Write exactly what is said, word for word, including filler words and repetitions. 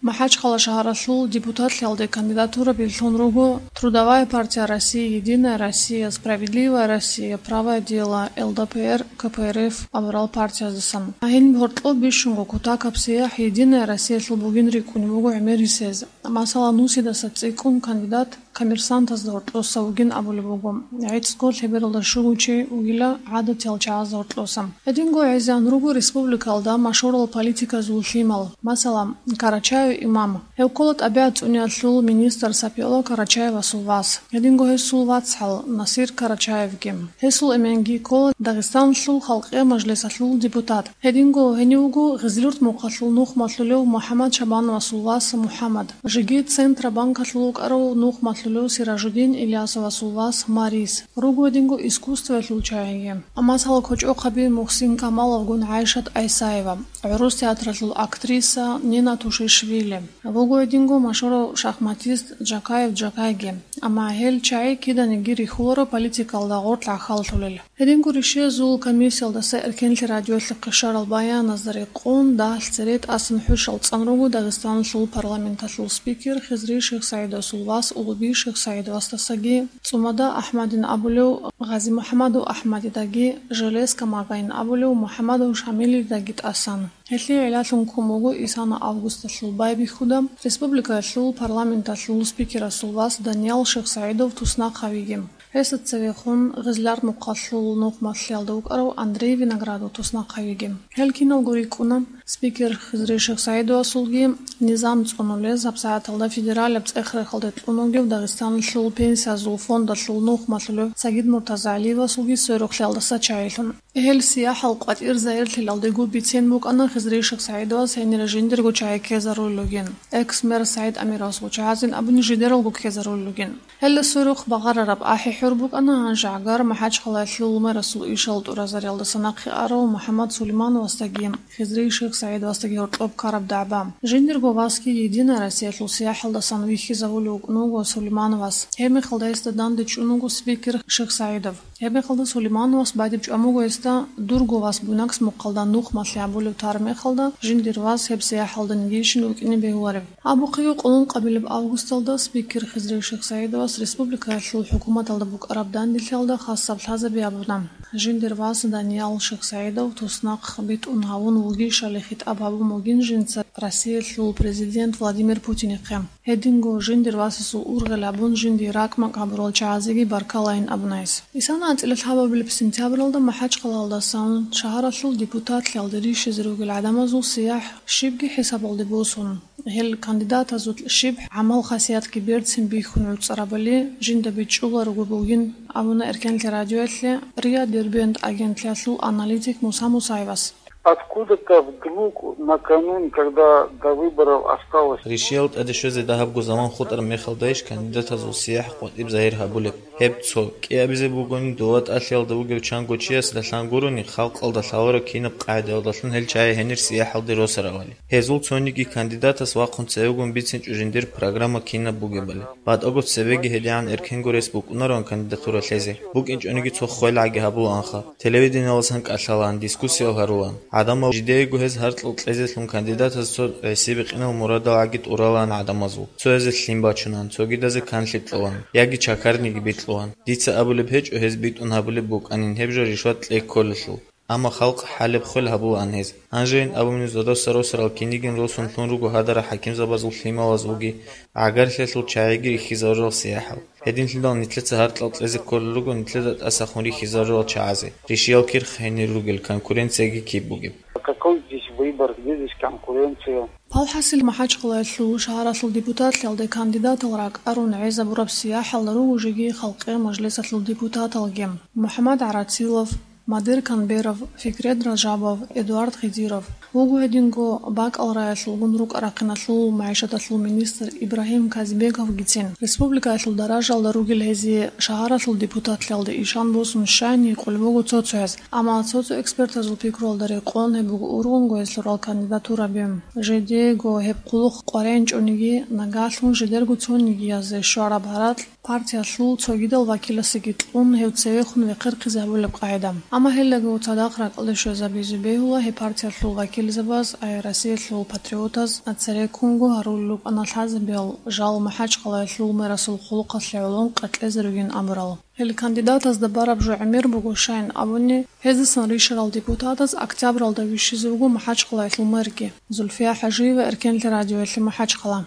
МахӀачхъала шагьаралъул депутатлъиялде кандидатура берлъун руго Трудовая партия России, Единая Россия, Справедливая Россия, Правое дело, Л Д П Р, К П Р Ф абурал партияздасан. Гьаниб гьоркьоб бищунго кутакаб сияхӀ Единая Россиялъул бугин рикӀкӀунеб буго гӀемерисез. Масала, Нусидаса цӀикӀкӀун кандидат Коммерсантазда гьоркьоса вугин абулеб буго, гӀицӀго лъебералда щуго чи вугила гӀадатиял чагӀазда гьоркьоса. Гьединго гӀезегӀан руго республикалда машгьурал политиказул лъимал, масала, Карачаев Имам. Гьев ккола тӀабигӀат цӀуниялъул министр Сапиола Карачаевасул вас. Гьединго гьесул вацгӀал Насир Карачаевги. Гьесул эменги ккола Дагъистаналъул Халкъиял Мажлисалъул депутат. Гьединго гьенив вуго Гъизлюрт мухъалъул нухмалъулев МухӀаммад Шабановасул вас МухӀаммад, жеги Центробанкалъул вукӀарав нухмалъулев Сиражудин Ильясовасул вас Марис, руго гьединго искусствоялъул чагӀиги. Масала, кочӀохъаби Мухсин Камаловгун ГӀайшат ГӀисаева, гӀурус театралъул актриса Нина Тушишвили, вуго гьединго машгьурав шахматист Джакаев Джакайги. Амма гьел чагӀи киданиги рихьуларо политикалда гъоркь гӀахьаллъулел. Гьединго ришиязул комиссиялдаса эркенлъи радиоялъухъе щварал баяназда рекъон, дагьалъ цере тӀасан хӀушал цӀан руго Дагъистаналъул парламенталъул спикер Хизри Шихсагьидовасул вас Улуби Шихсагьидовасдасаги, ЦӀумада АхӀмадин абулев ГъазимухӀамадов АхӀмадидаги, Железка Магаин абулев МухӀамадов Шамилидаги тӀасан. Гьелъие гӀиллалъун ккун буго исана августалъул байбихьуда республикаялъул парламенталъул спикерасул вас Даниял Шихсагьидов туснахъавиги. Гьесда цевехун Гъизлярт мухъалъул нухмалъиялда вукӀарав Андрей Виноградов туснахъавиги. Гьел киналго рикӀкӀуна спикер Хизри Шихсагьидовасулги низам цӀунулез гьабсагӀаталда федералияб цӀех-рехалде кьун вугев Дагъистаналъул пенсиязул фондалъул нухмалъулев Сагид МуртазагӀалиевасулги сверухълъиялдаса чагӀилъун. Гьел сияхӀал къватӀир загьирлъиялдего бицен букӀана Хизри Шихсагьидовас гьенир жиндирго чагӀи ккезарулел ругин. Экс-мэр СагӀид Амировасул чагӀазин абуни жидералго ккезарулел ругин. Гьелда сверухъ багъарараб ахӀи-хӀур букӀана гьанже гӀагар МахӀачхъалаялъул мэрасул ишал тӀуразариялдаса нахъе арав МухӀаммад Сулеймановасдаги Хизри Шихсагьидовасдаги гьоркьоб ккараб дагӀба. Жиндирго васги Единая Россиялъул сияхӀалдасан вихьизавулев вукӀун вуго Сулеймановас. Гьебмехалда гьесда данде чӀун вуго спикер Шихсагьидов. Гьебмехалда Сулеймановас бадиб чӀван буго гьесда дурго вас Буйнакс мухъалда нухмалъи гьабулев тараб мехалда, жиндир вас гьеб сияхӀалда нигейщин вукӀине бегьуларев. Абухъего къулун къабилеб августалда спикер Хизри Шихсагьидовас республикаялъул хӀукуматалда букӀараб данделъиялда хасаб лъазаби гьабуна. Жиндир вас Даниял Шихсагьидов туснахъ битӀун гьавун вугищали хитӀаб гьабун бугин жинца Россиялъул президент Владимир Путинихъе. Гьединго жиндир васасул ургъел гьабун жиндие ракӀ-макӀ гьабурал чагӀазеги баркалайин абуна гьес. Исана анцӀила лъабабилеб сентябралда МахӀачхъалаялдасан шагьаралъул депутатлъиялде рищизе ругел гӀадамазул сияхӀ щибги хӀисабалде босун, гьел кандидатазул щиб гӀамал-хасиятги берцин бихьун гӀуцӀарабали жинда бичӀчӀуларого бугин абуна эркенлъи радиоялъе РИА Дербент агентлъиялъул аналитик Муса Мусаевас. Откуда-то вдруг накануне, когда до выборов осталось... Ришиял тӀаде щвезе дагьабго заман хутӀараб мехалдайищ кандидатазул сияхӀ къватӀиб загьир гьабулеб? Гьеб цо кӀиабизе бугони, дова тӀалъиялда вугев чанго чиясда лъан гурони, халкъалда лъаларо кинаб къагӀидаялдалъун гьел чагӀи гьенир сияхӀалде росаравали. Гьезул цониги кандидатас вахъун цевегун бицинчӀо жиндир программа кинаб бугебали. БатӀаго цебеги гьедигӀан эркенго рес букӀунароан кандидатура лъезе. БукӀинчӀониги цо ххвелгӀаги гьабулаанха. Телевиденияласан кӀалъалаан, дискуссиял гьарулаан. ГӀадамал жидеего гьез гьаркьал кьезелъун кандидатаз цо гӀисибикъинал мурадалгӀаги тӀуралаан гӀадамазул. Цоязе лъим бачунаан, цогидазе канлъи кьолаан, яги чакарниги бикьулаан. Дица абулеб гьечӀо гьез битӀун гьабулеб букӀанин гьеб жо ришват кьей кколелъул. Амма халкъ хӀалеб хвел гьабулаан гьез. Гьанжейин абуни, зодасда росарал кинигин росун лъун руго гьадарал хӀакимзабазул лъималаз вуги гӀагарлъиялъул чагӀиги рихьизарурал сияхӀал. Гьединлъидал нилъеца гьаркьал кьезе кколел руго нилъеда тӀасахун рихьизарурал чагӀазе, ришиял кирхъ гьенир ругел конкуренцияги киб бугеб. Какой здесь выбор, где здесь конкуренция? Палхасил МахӀачхъалаялъул шагьаралъул депутатлъиялде кандидатал ракӀарун гӀезабураб сияхӀал руго жеги Халкъиял Мажлисалъул депутаталги: МухӀаммад ГӀарацилов, Мадир Канберов, Фикрет Ражабов, Эдуард Хидиров. Вуго гьединго бакӀал раялъулгун рукӀа-рахъиналъул магӀишаталъул министр Ибрагьим Казибековгицин. Республикаялъул даражалда ругел гьезие шагьаралъул депутатлъиялде ишан босун щайни гьикъулеб буго цо-цояз. Амма цо-цо экспертазул пикруялда рекъон гьеб буго ургъунго гьес лъурал кандидатураби. Жидеего гьеб хъулухъ къваригӀинчӀониги, нагагьлъун жидерго цонигиязе щвараб гьаракь Партиялъул цогидал вакиласеги кьун гьев цевехун вехъерхъизе гьабулеб къагӀида. Амма гьелдагив цадахъ ракӀалде щвезабизе бегьула гьеб партиялъул вакилзабаз, ай Россиялъул патриотаз, цереккунго гьарулел рукӀана лъазабиял жал МахӀачхъалаялъул мэрасул хъулухъалъе гӀолон къеркьезе ругин абурал. Гьел кандидатазда бараб жо гӀемер буго, щайин абуни, гьездасан рищарал депутатаз октябралда вищизе вуго МахӀачхъалаялъул мэрги. Зульфия ХӀажиева, Эркенлъи радиоялъе МахӀачхъала.